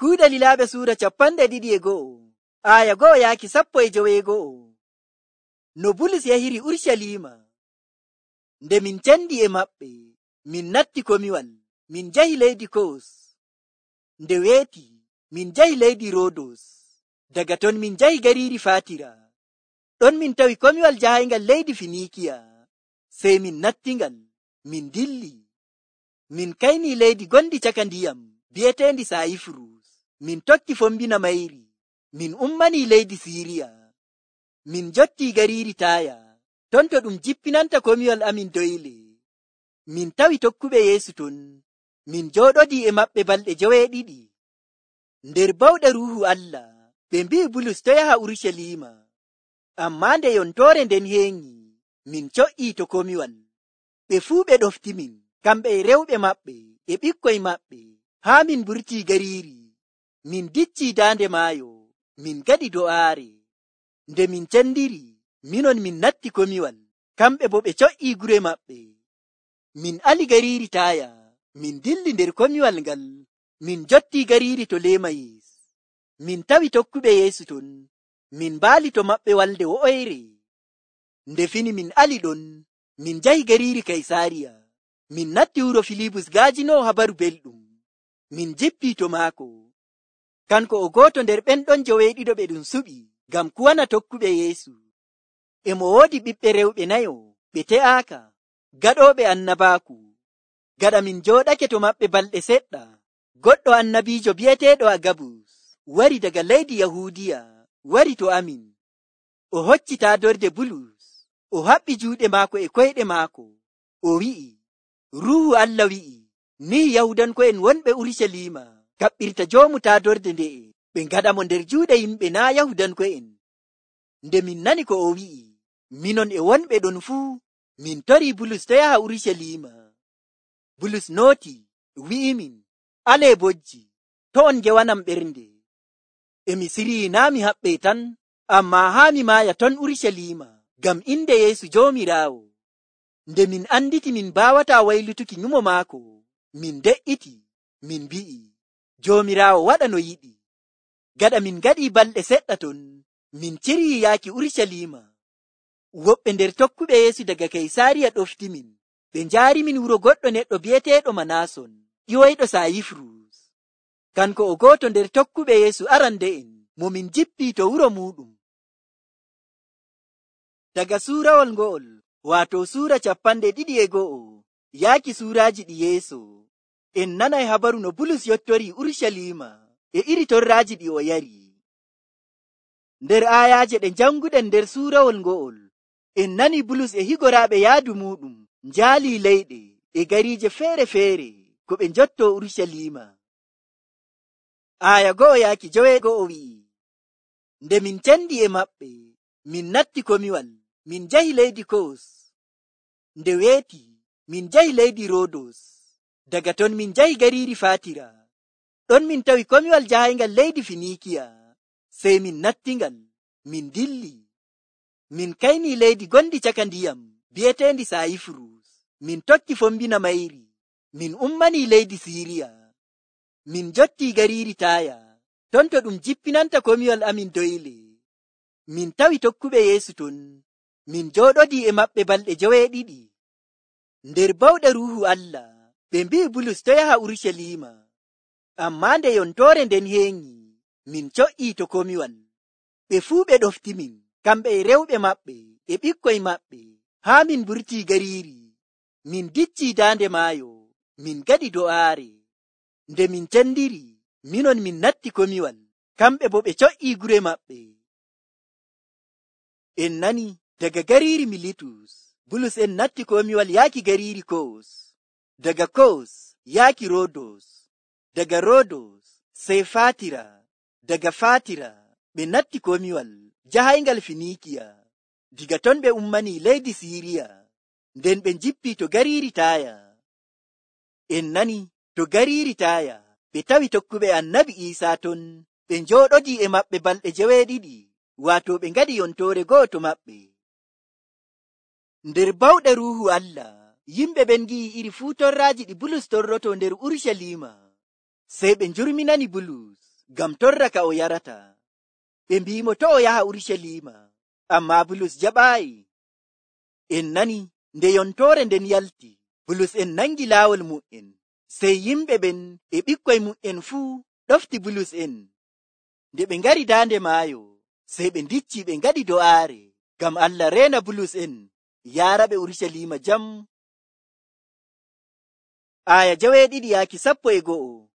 Kuuɗe Lilaaɓe suura 21 aya 1 yaaki 11. No Bulus yahiri Urucaliima. Nde min cendi e maɓɓe, min natti komiwal, min njahi leydi Kos. Nde weeti, min njahi leydi Rodos. Daga ton min njahi gariiri Faatira. Ɗon min tawi komiwal jahayngal leydi Finiikiya. Sey min nattingal, min dilli. Min kayni leydi gondi caka ndiyam, bi'eteendi Sayifurus. Min tokki fombina mayri. Min ummanii leydi Siiriya. Min jottii gariiri Taaya. Ton to ɗum jippinanta komiwal amin doyle. Min tawi tokkuɓe Yeesu ton. Min jooɗodii e maɓɓe balɗe 7. Nder bawɗe Ruuhu Allah, ɓe mbi'i Bulus to yaha Urucaliima. Ammaa nde yontoore nden heeŋi, min co'ii to komiwal. Ɓe fuu ɓe ɗoftimin, kamɓe e rewɓe maɓɓe e ɓikkoy maɓɓe, haa min burtii gariiri. Min diccii daande maayo, min gaɗi do'aare. Nde min cendiri, minon min natti komiwal, kamɓe bo ɓe co'ii gure maɓɓe. Min ali gariiri Taaya, min dilli nder komiwal ngal, min jottii gariiri Tolemayis. Min tawi tokkuɓe Yeesu ton, min mbaali to maɓɓe walde wo'oyre. Nde fini min ali ɗon, min njahi gariiri Kaysaariya. Min natti wuro Filibus gaajinoowo habaru belɗum. Min jippii to maako. Kanko o gooto nder ɓen ɗon 7 ɓe ɗum suɓi ngam kuwana tokkuɓe Yeesu. E mo woodi ɓiɓɓe rewɓe 4 ɓe te'aaka, gaɗooɓe annabaaku. Gaɗa min jooɗake to maɓɓe balɗe seɗɗa, goɗɗo annabiijo bi'eteeɗo Agabus wari daga leydi Yahuudiya, wari to amin. O hocci taadorde Bulus, o haɓɓi juuɗe maako e koyɗe maako. O wi'i, Ruuhu Allah wi'i, ni Yahudanko'en wonɓe Urucaliima kaɓɓirta joomu taadorde nde'e, ɓe ngaɗa mo nder juuɗe yimɓe naa Yahudanko'en. Nde min nani ko o wi'i, minon e wonɓe ɗon fuu, min torii Bulus to yaha Urucaliima. Bulus nooti, wi'imin, alee bojji, to on ngewanam ɓernde. E mi sirii naa mi haɓɓee tan, ammaa haa mi maaya ton Urucaliima, ngam inde Yeesu Joomiraawo. Nde min anditi min baawataa waylutuki nyumo maako, min de'iti, min mbi'i, Joomiraawo waɗa no yiɗi. Gaɗa min gaɗii balɗe seɗɗa ton, min cirii yaaki Urucaliima. Woɓɓe nder tokkuɓe Yeesu daga Kaysaariya ɗoftimin, ɓe njaarimin wuro goɗɗo neɗɗo bi'eteeɗo Manaason, ƴiwoyɗo Sayifurus. Kanko o gooto nder tokkuɓe Yeesu arande'en, mo min jippii to wuro muuɗum. Daga suurawol ngo'ol, waato suura 21 yaaki suuraaji ɗi yeeso, en nanay habaru no Bulus yottorii Urucaliima e iri torraaji ɗi o yari. Nder aayaaje ɗe janguɗen nder suurawol ngo'ol, en nani Bulus e higoraaɓe yaadu muuɗum njaalii leyɗe e gariije feere-feere ko ɓe njottoo Urucaliima. Aaya 1 yaaki 9 wi'i, nde min cendi e maɓɓe, min natti komiwal, min njahi leydi Kos. Nde weeti, min njahi leydi Rodos. Daga ton min njahi gariiri Faatira. Ɗon min tawi komiwal jahayngal leydi Finiikiya. Sey min nattingal, min dilli. Min kayni leydi gondi caka ndiyam, bi'eteendi Sayifurus. Min tokki fombina mayri. Min ummanii leydi Siiriya. Min jottii gariiri Taaya. Ton to ɗum jippinanta komiwal amin doyle. Min tawi tokkuɓe Yeesu ton. Min jooɗodii e maɓɓe balɗe 7. Nder bawɗe Ruuhu Allah, ɓe mbi'i Bulus to yaha Urucaliima. Ammaa nde yontoore nden heeŋi, min co'ii to komiwal. Ɓe fuu ɓe ɗoftimin, kamɓe e rewɓe maɓɓe e ɓikkoy maɓɓe, haa min burtii gariiri. Min diccii daande maayo, min gaɗi do'aare. Nde min cendiri, minon min natti komiwal, kamɓe bo ɓe co'ii gure maɓɓe. En nani daga gariiri Militus, Bulus en natti komiwal yaaki gariiri Kos. Daga Kos yaaki Rodos. Daga Rodos sey Faatira. Daga Faatira ɓe natti komiwal jahayngal Finiikiya. Diga ton ɓe ummanii leydi Siiriya. Nden ɓe jippii to gariiri Taaya. En nani to gariiri Taaya ɓe tawi tokkuɓe Annabi Iisaa ton. Ɓe njooɗodii e maɓɓe balɗe 7, waato ɓe ngaɗi yontoore go'o to maɓɓe. Nder bawɗe Ruuhu Allah, yimɓe ɓen ngi'i iri fuu torraaji ɗi Bulus torroto nder Urucaliima. Sey ɓe njurminani Bulus, ngam torra ka o yarata. Ɓe mbimo to o yaha Urusalima, ammaa Bulus jaɓaayi. En nani nde yontoore nden yalti, Bulus en nangi laawol mu'en, sey yimɓe ɓen e ɓikkoy mu'en fuu ɗofti Bulus en. Nde ɓe ngari daande maayo, sey ɓe ndicci ɓe ngaɗi do'aare ngam Allah reena Bulus en yaara ɓe Urusalima jam. Aya 7-11.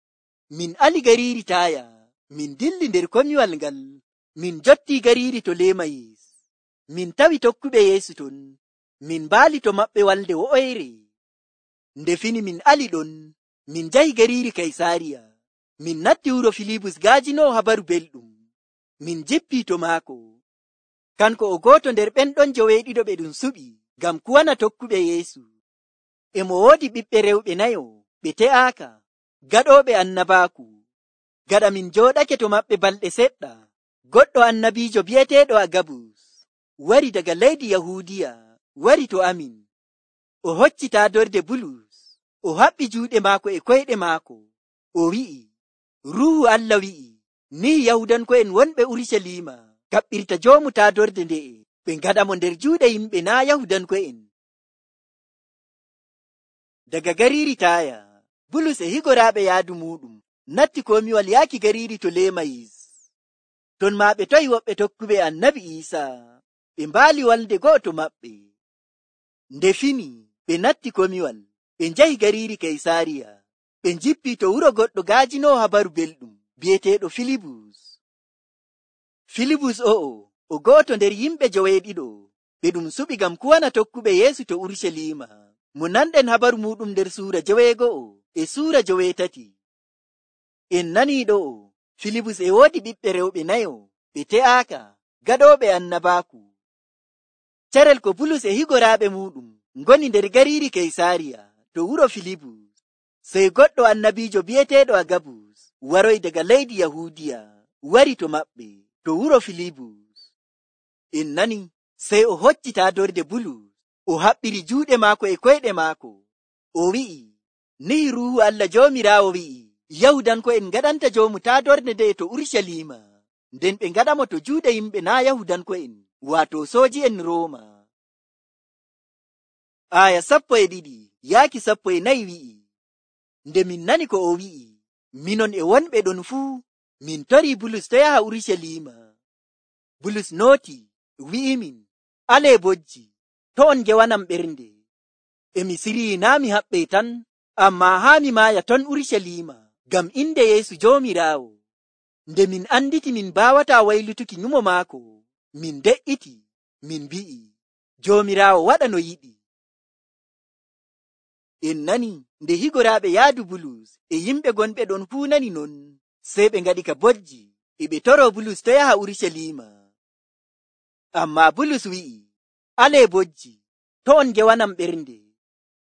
Min ali gariiri Taaya, min dilli nder komiwal ngal, min jotti gariiri Tolemayis. Min tawi tokkuɓe Yeesu ton, min mbaali to maɓɓe walde wo'oyre. Nde fini min ali ɗon, min njahi gariiri Kaysaariya. Min natti wuro Filibus gaajinoo habaru belɗum. Min jippii to maako. Kanko o gooto nder ɓen ɗon 9 ɓe ɗum suɓi ngam kuwana tokkuɓe Yeesu. E mo woodi ɓiɓɓe rewɓe 4 ɓe te'aaka, gaɗooɓe annabaaku. Gaɗa min jooɗake to maɓɓe balɗe seɗɗa, goɗɗo annabiijo bi'eteeɗo Agabus wari daga leydi Yahuudiya wari to amin. O hocci taadorde Bulus, o haɓɓi juuɗe maako e koyɗe maako. O wi'i, Ruuhu Allah wi'i, ni Yahudanko'en wonɓe Urusalima kaɓɓirta joomu taadorde nde'e, ɓe ngaɗa mo nder juuɗe yimɓe naa Yahudanko'en. Daga gariiri Taaya, Bulus e higoraaɓe yaadu muɗum natti komiwal yaaki gariiri Tolemayis. Ton maa ɓe toyi woɓɓe tokkuɓe Annabi Iisaa, ɓe mbaali walde go'oto maɓɓe. Nde fini ɓe natti komiwal, ɓe njahi gariiri Kaysaariya. Ɓe njippii to wuro goɗɗo gaajinoo habaru belɗum bi'eteeɗo Filibus. Filibus o'o o go'oto nder yimɓe 9 ɓe ɗum suɓi ngam kuwana tokkuɓe Yeesu to Urusalima. Mo nanɗen habaru muɗum nder suura 9 e suura 8. En nanii ɗo'o Filibus e woodi ɓiɓɓe rewɓe 4 ɓe te'aaka, gaɗooɓe annabaaku. Carel ko Bulus e higoraaɓe muɗum ngoni nder gariiri Kaysaariya to wuro Filibus, sey goɗɗo annabiijo bi'eteeɗo Agabus waroy daga leydi Yahuudiya wari to maɓɓe to wuro Filibus. En nani sey o hocci taadorde Bulus, o haɓɓiri juuɗe maako e koyɗe maako. O wi'i, ni Ruuhu Allah Joomiraawo wi'i, Yahudanko'en ngaɗanta joomu taadorde nde to Urusalima, nden ɓe ngaɗamo to juuɗe yimɓe naa Yahudanko'en, waato sooji'en Rooma. Aya 12-14 wi'i, nde min nani ko o wi'i, minon e wonɓe ɗon fuu, min torii Bulus to yaha Urusalima. Bulus nooti, wi'imin, alee bojji, to on ngewanam ɓernde. E mi sirii naa mi haɓɓee tan, ammaa haa mi maaya ton Urusalima, ngam inde Yeesu Joomiraawo. Nde min anditi min baawataa waylutuki nyumo maako, min de'iti, min mbi'i, Joomiraawo waɗa no yiɗi. En nani nde higoraaɓe yaadu Bulus e yimɓe gonɓe ɗon fuu nani non, sey ɓe ngaɗi ka bojji e ɓe toroo Bulus to yaha Urusalima. Ammaa Bulus wi'i, alee bojji, to on ngewanam ɓernde.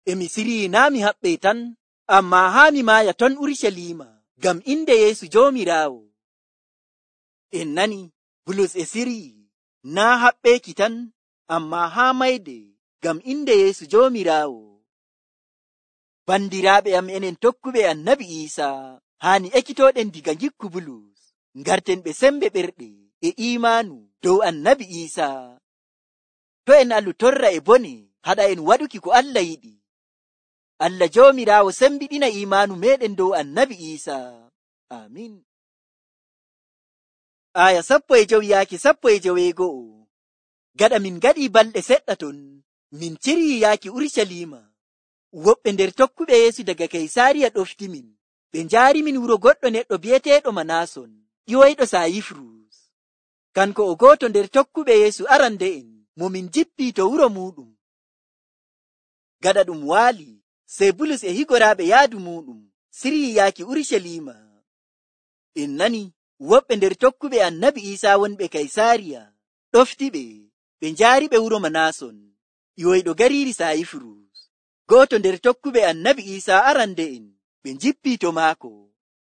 E mi sirii naa mi haɓɓee tan, ammaa haa mi maaya ton Urusalima, ngam inde Yeesu Joomiraawo. En nani Bulus e sirii naa haɓɓeeki tan, ammaa haa mayde, ngam inde Yeesu Joomiraawo. Bandiraaɓe am enen tokkuɓe Annabi Iisaa, haani ekkitooɗen diga ngikku Bulus, ngarten ɓe sembe ɓerɗe e iimaanu dow Annabi Iisaa. To en alu torra e bone, haɗa en waɗuki ko Allah yiɗi. Allah Joomiraawo sembiɗina iimaanu meɗen dow Annabi Iisaa. Amin. Aya 15-19. Gaɗa min ngaɗii balɗe seɗɗa ton, min cirii yaaki Urusalima. Woɓɓe nder tokkuɓe Yeesu daga Kaysaariya ɗofti min, ɓe njaari min wuro goɗɗo neɗɗo bi'eteeɗo Manaason, ƴiwoyɗo Sayifrus. Kanko o gooto nder tokkuɓe Yeesu arande'en, mo min jippii to wuro muɗum. Gaɗa ɗum waali, sey Bulus e higoraaɓe yaadu muɗum sirii yaaki Urusalima. En nani woɓɓe nder tokkuɓe Annabi Iisaa wonɓe Kaysaariya ɗofti ɓe njaari ɓe wuro Manaason, ƴiwoyɗo gariiri Sayifrus. Gooto nder tokkuɓe Annabi Iisaa arande'en, ɓe njippii to maako.